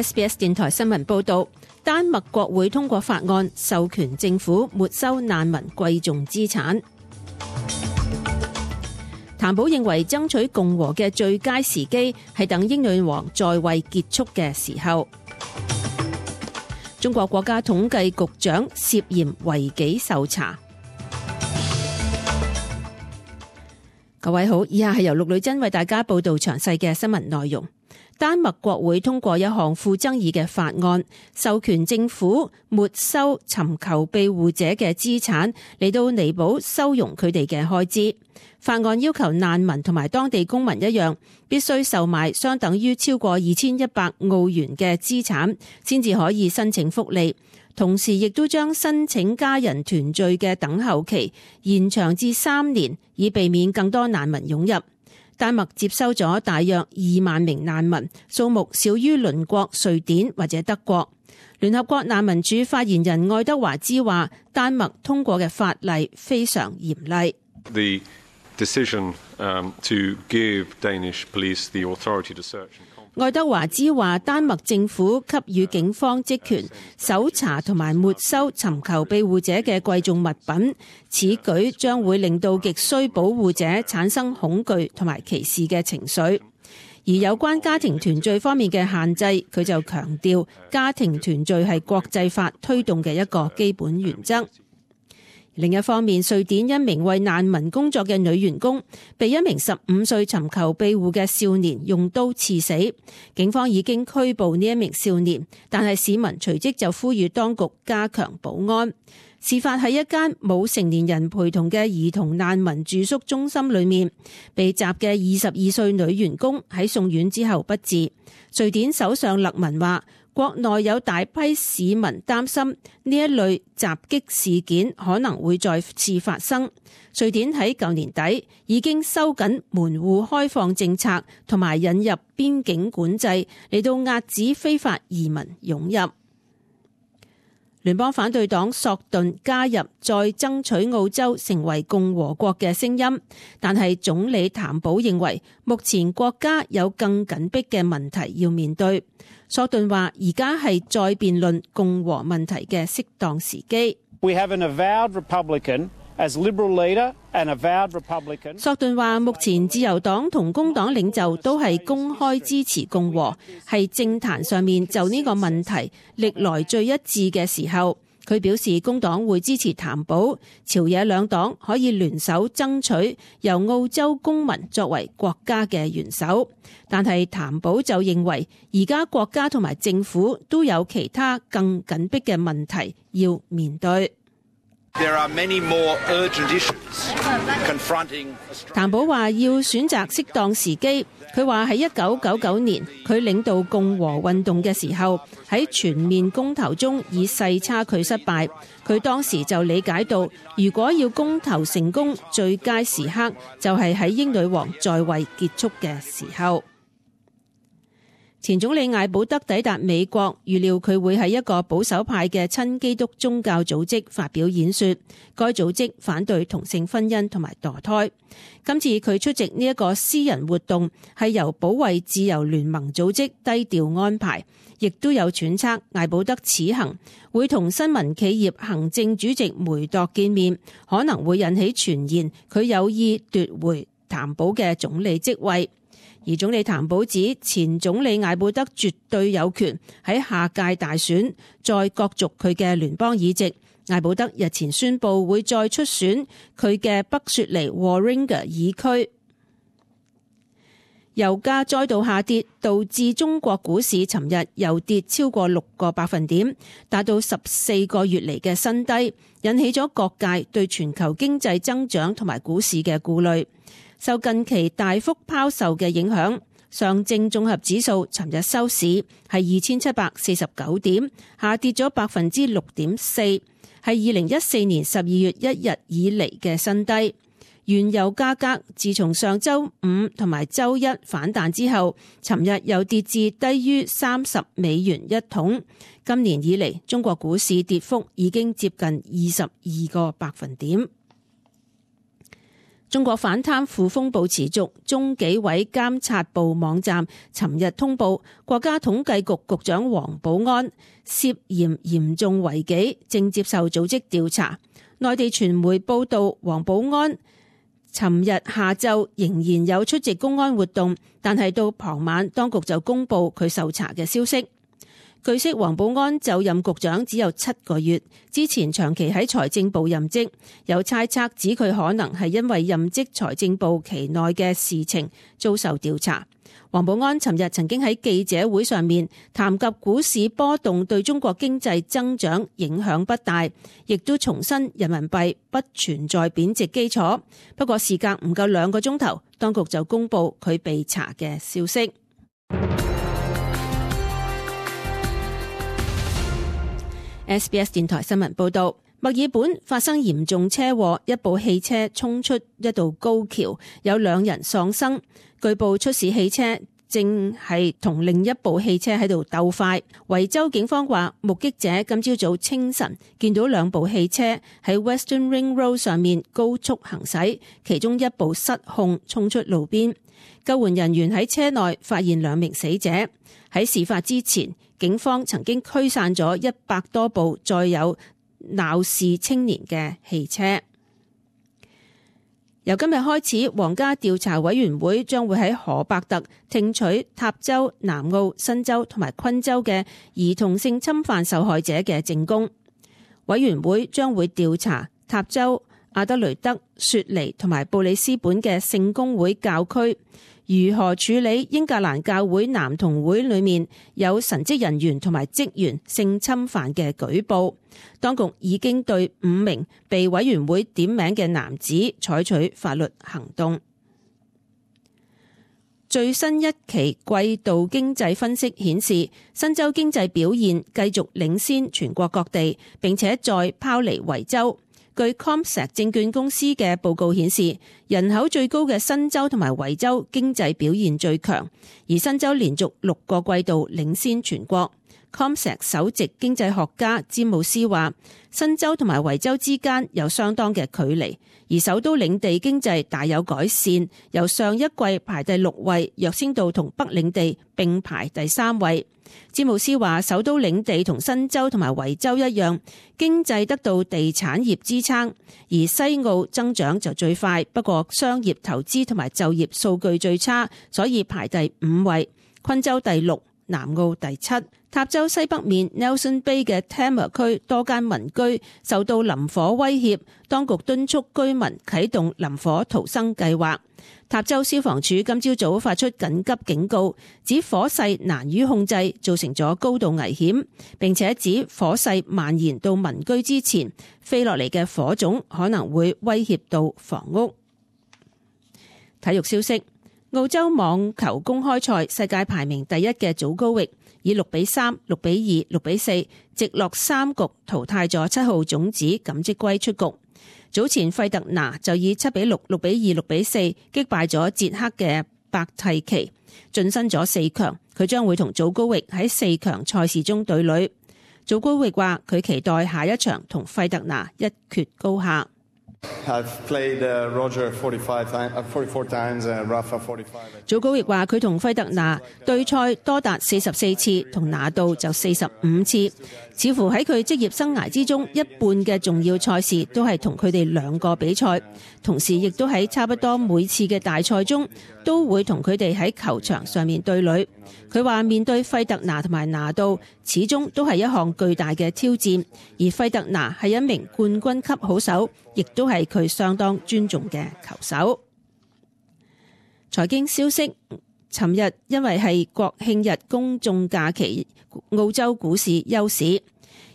SBS 電台新聞報道，丹麥國會通過法案，授權政府沒收難民貴重資產。譚寶認為爭取共和嘅最佳時機係等英女王在位結束嘅時候。中國國家統計局長涉嫌違紀受查。各位好，以下係由陸女真為大家報道詳細嘅新聞內容。丹麥國會通過一項富爭議嘅法案，授權政府沒收尋求庇護者嘅資產，嚟到彌補收容佢哋嘅開支。法案要求難民同埋當地公民一樣，必須售賣相等於超過2100澳元嘅資產，先至可以申請福利。同時亦都將申請家人團聚嘅等候期延長至3年，以避免更多難民湧入。丹麥接收咗大約2萬名難民，數目少於鄰國瑞典或者德國。聯合國難民署發言人愛德華茲話，丹麥通過嘅法例非常嚴厲。The decision to give Danish police the authority to search. 愛德華茲話，丹麥政府給予警方職權搜查同埋沒收尋求庇護者嘅貴重物品，此舉將會令到極需保護者產生恐懼同埋歧視嘅情緒。而有關家庭團聚方面嘅限制，佢就強調家庭團聚係國際法推動嘅一個基本原則。另一方面，瑞典一名為難民工作嘅女員工被一名15歲尋求庇護嘅少年用刀刺死，警方已經拘捕呢一名少年，但係市民隨即就呼籲當局加強保安。事發喺一間冇成年人陪同嘅兒童難民住宿中心裏面，被襲嘅22歲女員工喺送院之後不治。瑞典首相勒文話，國內有大批市民擔心呢一類襲擊事件可能會再次發生。瑞典喺舊年底已經收緊門戶開放政策，同埋引入邊境管制，嚟到遏止非法移民湧入。聯邦反對黨索頓加入再爭取澳洲成為共和國嘅聲音，但係總理譚寶認為目前國家有更緊迫嘅問題要面對。索頓話，而家係再辯論共和問題嘅適當時機。We have an avowed Republican as Liberal leader and avowed Republican。索頓話，目前自由黨同工黨領袖都係公開支持共和，係政壇上面就呢個問題歷來最一致嘅時候。佢表示工黨會支持譚寶，朝野兩黨可以聯手爭取由澳洲公民作為國家嘅元首。但係譚寶就認為而家國家同埋政府都有其他更緊迫嘅問題要面對。There are many more urgent issues confronting Australia. 譚寶話要選擇適當時機。佢話喺1999年佢領導共和運動嘅時候，喺全面公投中以細差距失敗。佢當時就理解到，如果要公投成功，最佳時刻就係喺英女王在位結束嘅時候。前總理艾保德抵達美國，預料佢會喺一個保守派嘅親基督宗教組織發表演說。該組織反對同性婚姻同埋墮胎。今次佢出席呢一個私人活動係由保衛自由聯盟組織低調安排，亦都有揣測艾保德此行會同新聞企業行政主席梅鐸見面，可能會引起傳言佢有意奪回譚寶嘅總理職位。而總理譚寶指前總理艾保德絕對有權喺下屆大選再角逐佢嘅聯邦議席。艾保德日前宣布會再出選佢嘅北雪梨 Warringah 議區。油價再度下跌，導致中國股市尋日又跌超過6個百分點，達到14個月嚟嘅新低，引起咗各界對全球經濟增長同埋股市嘅顧慮。受近期大幅拋售嘅影響，上證綜合指數尋日收市係2749點，下跌咗6.4%，係2014年12月1日以嚟嘅新低。原油價格自從上週五同埋週一反彈之後，尋日又跌至低於30美元一桶。今年以嚟，中國股市跌幅已經接近22個百分點。中國反貪腐風暴持續，中紀委監察部網站尋日通報，國家統計局局長王保安涉嫌嚴重違紀，正接受組織調查。內地傳媒報道，王保安尋日下晝仍然有出席公安活動，但係到傍晚，當局就公布佢受查嘅消息。據悉，王保安就任局長只有7個月，之前長期喺財政部任職，有猜測指佢可能係因為任職財政部期內嘅事情遭受調查。王保安尋日曾經喺記者會上面談及股市波動對中國經濟增長影響不大，亦都重申人民幣不存在貶值基礎。不過事隔唔夠2個鐘頭，當局就公布佢被查嘅消息。SBS 電台新聞報道，墨爾本發生嚴重車禍，一部汽車衝出一道高橋，有2人喪生。據報出事汽車正係同另一部汽車喺度鬥快。維州警方話，目擊者今朝早清晨見到2部汽車喺 Western Ring Road 上面高速行駛，其中一部失控衝出路邊。救援人員喺車內發現2名死者。喺事發之前，警方曾經驅散咗100多部載有鬧事青年嘅汽車。由今日開始，皇家調查委員會將會喺荷伯特聽取塔州、南澳、新州同埋昆州嘅兒童性侵犯受害者嘅證供。委員會將會調查塔州、阿德雷德、雪梨同埋布里斯本嘅聖公會教區如何處理英格蘭教會男童會裏面有神職人員同埋職員性侵犯嘅舉報。當局已經對5名被委員會點名嘅男子採取法律行動。最新一期季度經濟分析顯示，新州經濟表現繼續領先全國各地，並且再拋離維州。據 CommSec 證券公司嘅報告顯示，人口最高嘅新州同埋維州經濟表現最強，而新州連續6個季度領先全國。CommSec 首席經濟學家詹姆斯話，新州同埋維州之間有相當嘅距離，而首都領地經濟大有改善，由上一季排第6位躍升到同北領地並排第3位。詹姆斯話，首都領地同新州同埋維州一樣，經濟得到地產業支撐，而西澳增長就最快，不過商業投資同埋就業數據最差，所以排第5位。昆州第6，南澳第7。塔州西北面 Nelson Bay 嘅 Tamar 區多間民居受到林火威脅，當局敦促居民啟動林火逃生計劃。塔州消防處今朝早發出緊急警告，指火勢難於控制，造成咗高度危險，並且指火勢蔓延到民居之前，飛落嚟嘅火種可能會威脅到房屋。體育消息，澳洲網球公開賽世界排名第1嘅祖高域以6-3、6-2、6-4直落3局淘汰咗7號種子錦織圭出局。早前費特拿就以7-6、6-2、6-4擊敗咗捷克嘅伯蒂奇，晉身咗4強。佢將會同祖高域喺4強賽事中對壘。祖高域話佢期待下一場同費特拿一決高下。I've played Roger 44 times and Rafa 45. 祖高域話佢同費特拿對賽多達44次，同拿度就45次。似乎喺佢職業生涯之中，一半嘅重要賽事都係同佢哋2個比賽，同時亦都喺差不多每次嘅大賽中都會同佢哋喺球場上面對壘。佢話面對費特拿同埋拿度，始終都係一項巨大嘅挑戰，而費特拿係一名冠軍級好手，亦都係佢相當尊重嘅球手。財經消息，尋日因為係國慶日公眾假期，澳洲股市休市，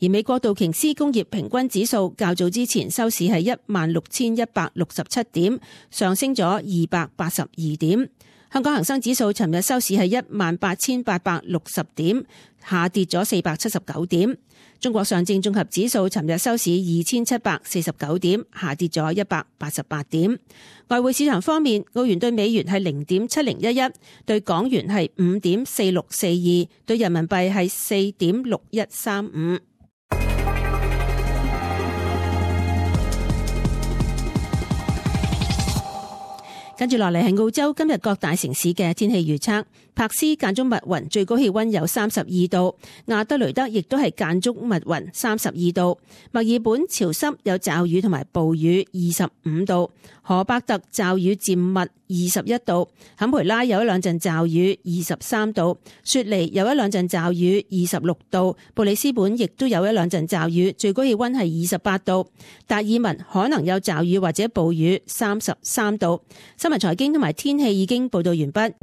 而美國道瓊斯工業平均指數較早之前收市係16,167點，上升咗282點。香港恒生指數尋日收市係18,860點，下跌咗479點。中國上證綜合指數尋日收市2,749點，下跌咗188點。外匯市場方面，澳元對美元係0.7011，對港元係5.4642，對人民幣係4.6135。跟住落嚟係澳洲今日各大城市嘅天氣預測。柏斯間中密雲，最高氣溫有32度；亞德雷德亦都係間中密雲，32度；墨爾本潮濕有驟雨同埋暴雨，25度；荷伯特驟雨漸密，21度；坎培拉有一兩陣驟雨，23度；雪梨有一兩陣驟雨，26度；布里斯本亦都有一兩陣驟雨，最高氣溫係28度；達爾文可能有驟雨或者暴雨，33度。新聞財經同埋天氣已經報道完畢。